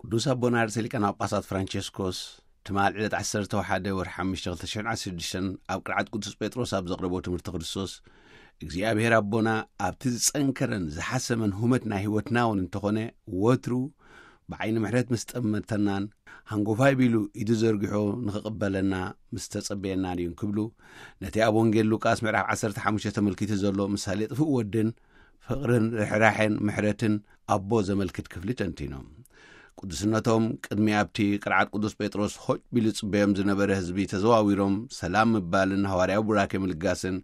ቅዱስ ኣቦና ርእሰ ሊቃነ ጳጳሳት ፍራንቸስኮስ ትማል ዕለት ዓሰርተ ሓደ ወርሒ ሓሙሽተ ክልተ ሽሕን ዓሰርተ ሽዱሽተን ኣብ ቅርዓት ቅዱስ ጴጥሮስ ኣብ ዘቕረቦ ትምህርቲ ክርስቶስ፣ እግዚኣብሔር ኣቦና ኣብቲ ዝጸንከረን ዝሓሰመን ሁመት ናይ ህይወትና እውን እንተኾነ፣ ወትሩ ብዓይኒ ምሕረት ምስ ጠመተናን ሃንጎፋይ ቢሉ ኢዱ ዘርጊሖ ንኽቕበለና ምስ ተጸበየናን እዩ እንክብሉ፣ ነቲ ኣብ ወንጌል ሉቃስ ምዕራፍ ዓሰርተ ሓሙሽተ ተመልኪቱ ዘሎ ምሳሌ ጥፉእ ወድን ፍቕርን ርሕራሐን ምሕረትን ኣቦ ዘመልክት ክፍሊ ተንቲኖም። ቅዱስነቶም ቅድሚ ኣብቲ ቅርዓት ቅዱስ ጴጥሮስ ሆጭ ቢሉ ጽበዮም ዝነበረ ህዝቢ ተዘዋዊሮም ሰላም ምባልን ሃዋርያዊ ቡራኬ ምልጋስን፣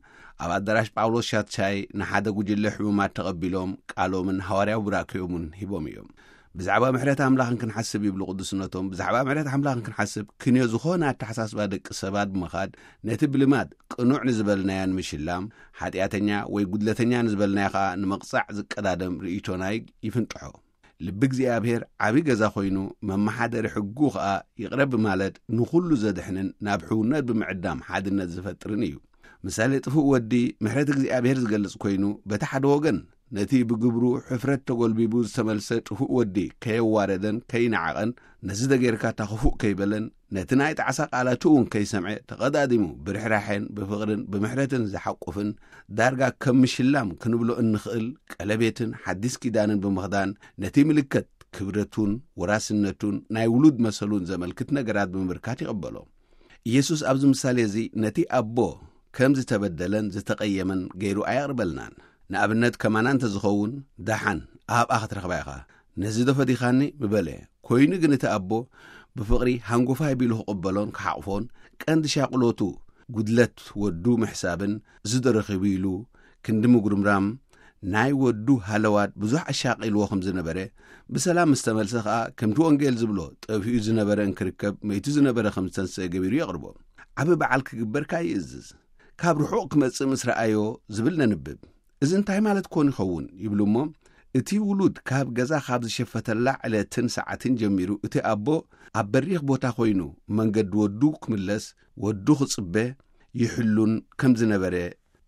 ኣብ ኣዳራሽ ጳውሎስ ሻትሻይ ንሓደ ጉጅለ ሕሙማት ተቐቢሎም ቃሎምን ሃዋርያዊ ቡራኬኦምን ሂቦም እዮም። ብዛዕባ ምሕረት ኣምላኽ ክንሓስብ ይብሉ ቅዱስነቶም፣ ብዛዕባ ምሕረት ኣምላኽ ክንሓስብ ክንዮ ዝኾነ ኣተሓሳስባ ደቂ ሰባት ብምኻድ ነቲ ብልማድ ቅኑዕ ንዝበልናዮ ንምሽላም፣ ሓጢኣተኛ ወይ ጉድለተኛ ንዝበልናዮ ኸኣ ንምቕጻዕ ዝቀዳደም ርእይቶና ይፍንጥሖ። ልቢ እግዚኣብሔር ዓቢ ገዛ ኮይኑ፣ መመሓደሪ ሕጉ ኸኣ ይቕረ ብማለት ንኹሉ ዘድሕንን ናብ ሕውነት ብምዕዳም ሓድነት ዝፈጥርን እዩ። ምሳሌ ጥፉእ ወዲ ምሕረት እግዚኣብሔር ዝገልጽ ኮይኑ፣ በቲ ሓደ ወገን ነቲ ብግብሩ ሕፍረት ተጎልቢቡ ዝተመልሰ ጥፉእ ወዲ ከየዋረደን ከይነዓቐን፣ ነዚ ደጌርካ እታ ክፉእ ከይበለን፣ ነቲ ናይ ጣዕሳ ቃላቱ እውን ከይሰምዐ ተቐዳዲሙ ብርሕራሐን ብፍቕርን ብምሕረትን ዝሓቁፍን፣ ዳርጋ ከም ምሽላም ክንብሎ እንኽእል ቀለቤትን ሓዲስ ኪዳንን ብምኽዳን፣ ነቲ ምልክት ክብረቱን ወራስነቱን ናይ ውሉድ መሰሉን ዘመልክት ነገራት ብምምልካት ይቕበሎ። ኢየሱስ ኣብዚ ምሳሌ እዚ ነቲ ኣቦ ከም ዝተበደለን ዝተቐየመን ገይሩ ኣየቕርበልናን። ንኣብነት ከማና እንተዝኸውን፣ ደሓን ኣብኣ ክትረኽባ ኢኻ፣ ነዚ ዶ ፈዲኻኒ ምበለ። ኮይኑ ግን እቲ ኣቦ ብፍቕሪ ሃንጎፋይ ቢሉ ክቕበሎን ክሓቕፎን፣ ቀንዲ ሻቕሎቱ ጉድለት ወዱ ምሕሳብን፣ እዚ ዶ ረኺቡ ኢሉ ክንዲ ምጉርምራም፣ ናይ ወዱ ሃለዋት ብዙሕ ኣሻቒልዎ ከም ዝነበረ፣ ብሰላም ምስ ተመልሰ ኸኣ ከምቲ ወንጌል ዝብሎ ጠፊኡ ዝነበረ እንክርከብ መይቱ ዝነበረ ከም ዝተንስአ ገቢሩ የቕርቦ። ዓቢ በዓል ክግበር ከኣ ይእዝዝ። ካብ ርሑቕ ክመጽእ ምስ ረኣዮ ዝብል ነንብብ። እዚ እንታይ ማለት ኮን ይኸውን ይብሉ እሞ፣ እቲ ውሉድ ካብ ገዛ ካብ ዝሸፈተላ ዕለትን ሰዓትን ጀሚሩ እቲ ኣቦ ኣብ በሪኽ ቦታ ኮይኑ መንገዲ ወዱ ክምለስ፣ ወዱ ክጽበ ይሕሉን ከም ዝነበረ፣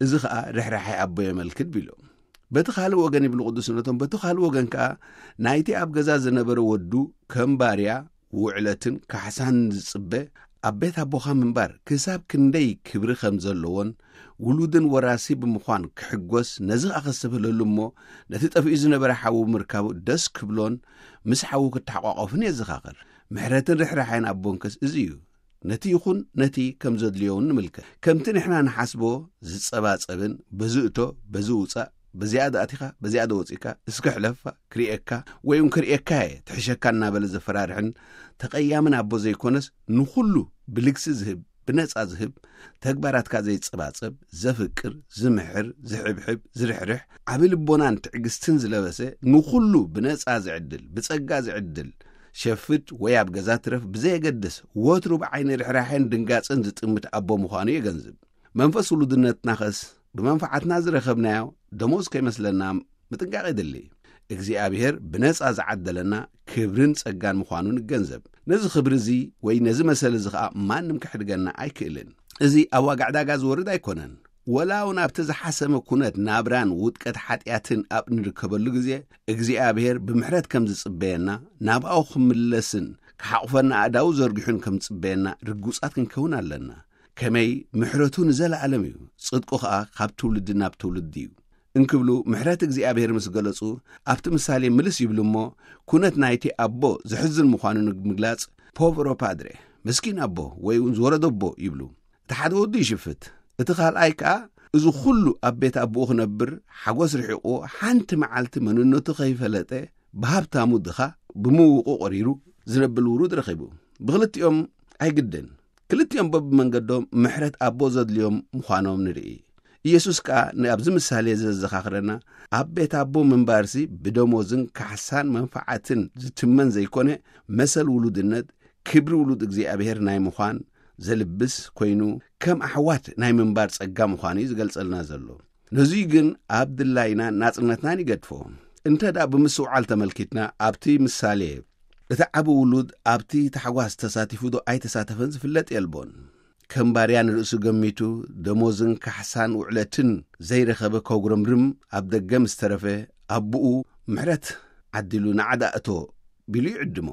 እዚ ኸኣ ርሕራሐ ኣቦ የመልክት ቢሉ። በቲ ካልእ ወገን ይብሉ ቅዱስነቶም፣ በቲ ካልእ ወገን ከኣ ናይቲ ኣብ ገዛ ዝነበረ ወዱ ከም ባርያ ውዕለትን ካሕሳን ዝጽበ ኣብ ቤት ኣቦኻ ምንባር ክሳብ ክንደይ ክብሪ ከም ዘለዎን ውሉድን ወራሲ ብምዃን ክሕጎስ፣ ነዚ ኸኣ ከስተብህለሉ እሞ ነቲ ጠፊኡ ዝነበረ ሓዉ ምርካቡ ደስ ክብሎን ምስ ሓዉ ክተሓቋቆፍን የዘኻኽር። ምሕረትን ርሕራሐን ኣቦንከስ እዚ እዩ። ነቲ ይኹን ነቲ ከም ዘድልዮ እውን ንምልከት። ከምቲ ንሕና ንሓስቦ ዝጸባጸብን በዚ እቶ፣ በዚ ውጻእ፣ በዚኣ ዶ ኣቲኻ፣ በዚኣ ዶ ወጺእካ፣ እስከ ሕለፋ፣ ክርእየካ፣ ወይ እውን ክርእየካ እየ፣ ትሕሸካ እናበለ ዘፈራርሕን ተቐያምን ኣቦ ዘይኮነስ፣ ንኹሉ ብልግሲ ዝህብ፣ ብነጻ ዝህብ፣ ተግባራትካ ዘይጸባጸብ፣ ዘፍቅር፣ ዝምሕር፣ ዝሕብሕብ፣ ዝርሕርሕ፣ ዓቢ ልቦናን ትዕግስትን ዝለበሰ፣ ንኹሉ ብነጻ ዝዕድል፣ ብጸጋ ዝዕድል፣ ሸፍት ወይ ኣብ ገዛ ትረፍ ብዘየገድስ፣ ወትሩ ብዓይኒ ርሕራሐን ድንጋጸን ዝጥምት ኣቦ ምዃኑ የገንዝብ። መንፈስ ውሉድነትናኸስ ብመንፈዓትና ዝረኸብናዮ ደሞዝ ከይመስለና ምጥንቃቕ የድሊ። እግዚኣብሔር ብነጻ ዝዓደለና ክብርን ጸጋን ምዃኑ ንገንዘብ። ነዚ ክብሪ እዚ ወይ ነዚ መሰል እዚ ኸኣ ማንም ክሕድገና ኣይክእልን። እዚ ኣብ ዋጋ ዕዳጋ ዝወርድ ኣይኮነን። ወላ እውን ኣብቲ ዝሓሰመ ኩነት ናብራን ውድቀት ሓጢኣትን ኣብ እንርከበሉ ግዜ፣ እግዚኣብሔር ብምሕረት ከም ዝጽበየና፣ ናብኣኡ ክምለስን ክሓቑፈና ኣእዳዉ ዘርጊሑን ከም ዝጽበየና ርጉጻት ክንከውን ኣለና። ከመይ ምሕረቱ ንዘለኣለም እዩ፣ ጽድቁ ኸኣ ካብ ትውልዲ ናብ ትውልዲ እዩ። እንክብሉ ምሕረት እግዚኣብሔር ምስ ገለጹ፣ ኣብቲ ምሳሌ ምልስ ይብሉ እሞ፣ ኩነት ናይቲ ኣቦ ዘሕዝን ምዃኑ ንምግላጽ፣ ፖቨሮ ፓድሬ፣ መስኪን ኣቦ፣ ወይ እውን ዝወረዶ ኣቦ ይብሉ። እቲ ሓደ ወዱ ይሽፍት፣ እቲ ካልኣይ ከኣ እዚ ኹሉ ኣብ ቤት ኣቦኡ ክነብር፣ ሓጎስ ርሒቑዎ፣ ሓንቲ መዓልቲ መንነቱ ከይፈለጠ፣ ብሃብታሙ ድኻ፣ ብምውቑ ቆሪሩ ዝነብል ውሩድ ረኺቡ። ብኽልቲኦም ኣይግድን። ክልቲኦም በብመንገዶም ምሕረት ኣቦ ዘድልዮም ምዃኖም ንርኢ። ኢየሱስ ከኣ ንኣብዚ ምሳሌ እዚ ዘዘኻኽረና፣ ኣብ ቤት ኣቦ ምንባርሲ ብደሞዝን ካሕሳን መንፈዓትን ዝትመን ዘይኮነ፣ መሰል ውሉድነት፣ ክብሪ ውሉድ እግዚኣብሔር ናይ ምዃን ዘልብስ ኮይኑ፣ ከም ኣሕዋት ናይ ምንባር ጸጋ ምዃኑ እዩ ዝገልጸልና ዘሎ። ነዙይ ግን ኣብ ድላይናን ናጽነትናን ይገድፎ። እንተ ደኣ ብምስውዓል ተመልኪትና፣ ኣብቲ ምሳሌ፣ እቲ ዓቢ ውሉድ ኣብቲ ታሕጓስ ተሳቲፉ ዶ ኣይተሳተፈን ዝፍለጥ የልቦን። ከም ባርያ ንርእሱ ገሚቱ፣ ደሞዝን ካሕሳን ውዕለትን ዘይረኸበ ከጉረምርም ኣብ ደገ ምስ ተረፈ፣ ኣቦኡ ምሕረት ዓዲሉ ንዓዳ እቶ ቢሉ ይዕድሞ።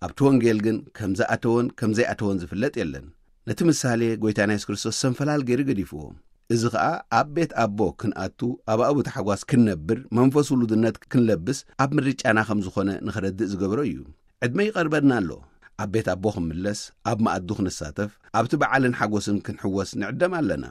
ኣብቲ ወንጌል ግን ከም ዝኣተወን ከም ዘይኣተወን ዝፍለጥ የለን። ነቲ ምሳሌ ጎይታና የሱስ ክርስቶስ ሰንፈላል ገይሩ ገዲፍዎ። እዚ ኸኣ ኣብ ቤት ኣቦ ክንኣቱ፣ ኣብ ኣብኡ ታሕጓስ ክንነብር፣ መንፈስ ውሉድነት ክንለብስ ኣብ ምርጫና ከም ዝኾነ ንኸረድእ ዝገበሮ እዩ። ዕድመ ይቐርበና ኣሎ። ኣብ ቤት ኣቦ ክንምለስ፣ ኣብ መኣዱ ክንሳተፍ፣ ኣብቲ በዓልን ሓጎስን ክንሕወስ ንዕደም ኣለና።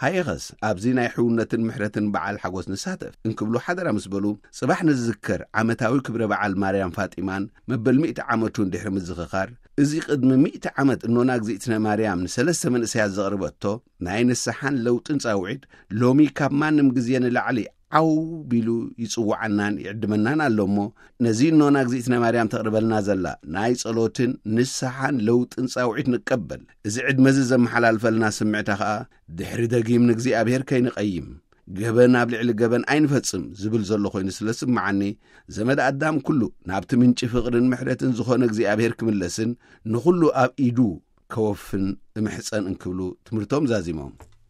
ሃየኸስ ኣብዚ ናይ ሕውነትን ምሕረትን በዓል ሓጎስ ንሳተፍ እንክብሉ ሓደራ ምስ በሉ፣ ጽባሕ ንዝዝከር ዓመታዊ ክብረ በዓል ማርያም ፋጢማን መበል ሚእቲ ዓመቱን ድሕሪ ምዝኽኻር፣ እዚ ቅድሚ ሚእቲ ዓመት እኖና እግዚኣብትነ ማርያም ንሰለስተ መንእሰያት ዘቕርበቶ ናይ ንስሓን ለውጥን ጻውዒት ሎሚ ካብ ማንም ግዜ ንላዕሊ ዓው ቢሉ ይጽውዓናን ይዕድመናን ኣሎ እሞ፣ ነዚ እኖና እግዚኣብትነ ማርያም ተቕርበልና ዘላ ናይ ጸሎትን ንስሓን ለውጥን ጻውዒት ንቀበል። እዚ ዕድመ እዚ ዘመሓላልፈልና ስምዕታ ኸኣ ድሕሪ ደጊም ንእግዚኣብሔር ከይንቐይም፣ ገበን ኣብ ልዕሊ ገበን ኣይንፈጽም ዝብል ዘሎ ኮይኑ ስለ ዝስምዓኒ፣ ዘመድ ኣዳም ኩሉ ናብቲ ምንጪ ፍቕርን ምሕረትን ዝኾነ እግዚኣብሔር ክምለስን ንኹሉ ኣብ ኢዱ ከወፍን እምሕጸን እንክብሉ ትምህርቶም ዛዚሞም።